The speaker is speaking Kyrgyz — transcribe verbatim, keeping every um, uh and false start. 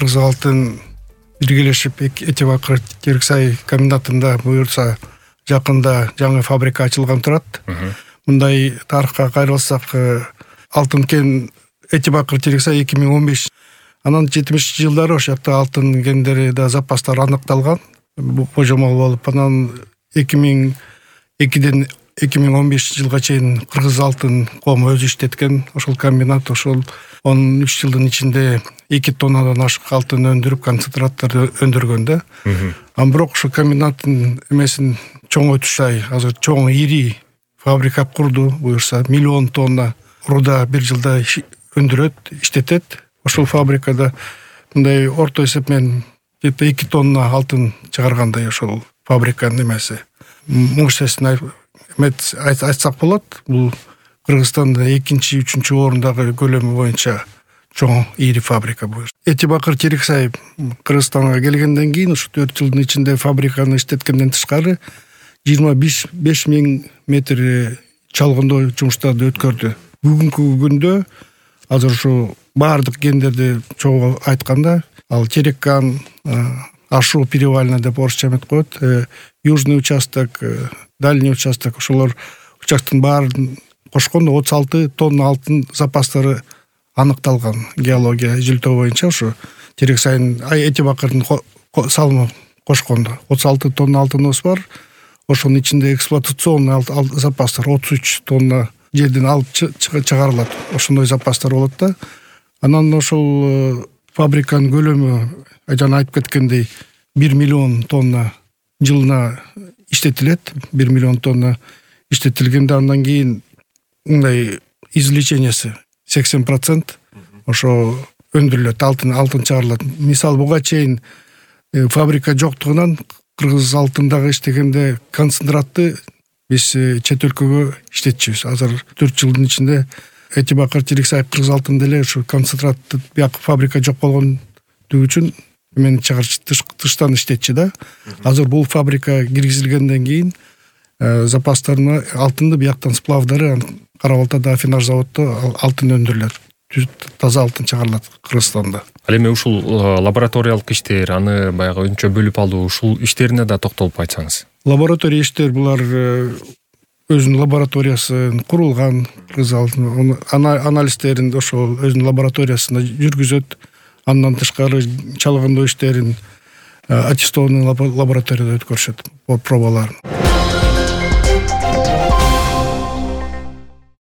кыргыз алтын биргелешип эти бакыр Териксай комбинатында буюрса жакында жаңы фабрика ачылган турат. Мындай тарыхка кайрылсак, алтын кен эти бакыр Териксай эки миң он беш, анан жетимишинчи жылдары ошол жакта алтын кендери да запастар аныкталган, божомол болуп, анан эки миң экиден эки миң он бешинчи жылга чейин Кыргыз алтын кому өзү иштеткен. Ошол комбинат ошол он үч жылдын ичинде эки тоннадан ашык алтын өндүрүп, концентраттарды өндүргөн да. Ан бирок ошо комбинаттын эмесин чоңойтушай, азыр чоң ири фабрика курду, буюрса миллион тонна руда бир жылда өндүрөт, иштетет. Ошол фабрикада мындай орто эсеп менен где-то эки тонна алтын чыгаргандай ошол фабриканын эмеси. Муңсесин айтсак болот, бул Кыргызстанда экинчи, үчүнчү орундагы көлөмү боюнча чоң ири фабрика бул. Эти бакыр Териксай Кыргызстанга келгенден кийин ушу төрт жылдын ичинде фабриканы иштеткенден тышкары жыйырма беш миң метр чалгындоо жумуштарды өткөрдү. Бүгүнкү күндө азыр ушу баардык кендерди чогуу айтканда, ал Тереккан, Ашу перевалина деп орусча эметип коет, южный участок, дальний участок, ошолор учактын баарын кошкондо отуз алты тонна алтын запастары аныкталган. Геология изилтөө боюнча ушу Териксайдын эти бакырдын салымы кошкондо отуз алты тонна алтыныбыз бар. Ошонун ичинде эксплуатационный запастар отуз үч тонна жерден алып чыгарылат. Ошондой запастар болот да. Анан ошол фабриканын көлөмү жана айтып кеткендей бир миллион тонна жылына иштетилет. бир миллион тонна иштетилгенде андан кийин мындай извлечениясы сексен процент ошо өндүрүлөт, алтын алтын чыгарылат. Мисалы буга чейин фабрика жоктугунан Кыргыз алтындагы иштегенде концентратты биз чет өлкөгө иштетчүбүз. Азыр төрт жылдын ичинде эти бакыр Териксай Кыргыз алтын деле ушу концентратты бияк фабрика жок болгондугу үчүн эмени чыгарчы тыштан иштетчү да. Азыр бул фабрика киргизилгенден кийин запастарына алтынды бияктан сплавдары Кара Балтада афинаж заводдо алтын өндүрүлөт. Таза алтын чыгарылат Кыргызстанда. Ал эми ушул лабораториялык иштер, аны баягы өнчө бөлүп алуу, ушул иштерине да токтолуп айтсаңыз. Лаборатория иштер булар өзүнүн лабораториясы курулган, Кыргыз алтын анализдерин ошол өзүнүн лабораториясында жүргүзөт. Андан тышкары чалгындоо иштерин аттестованный лабораторияда өткөрүшөт, пробаларын.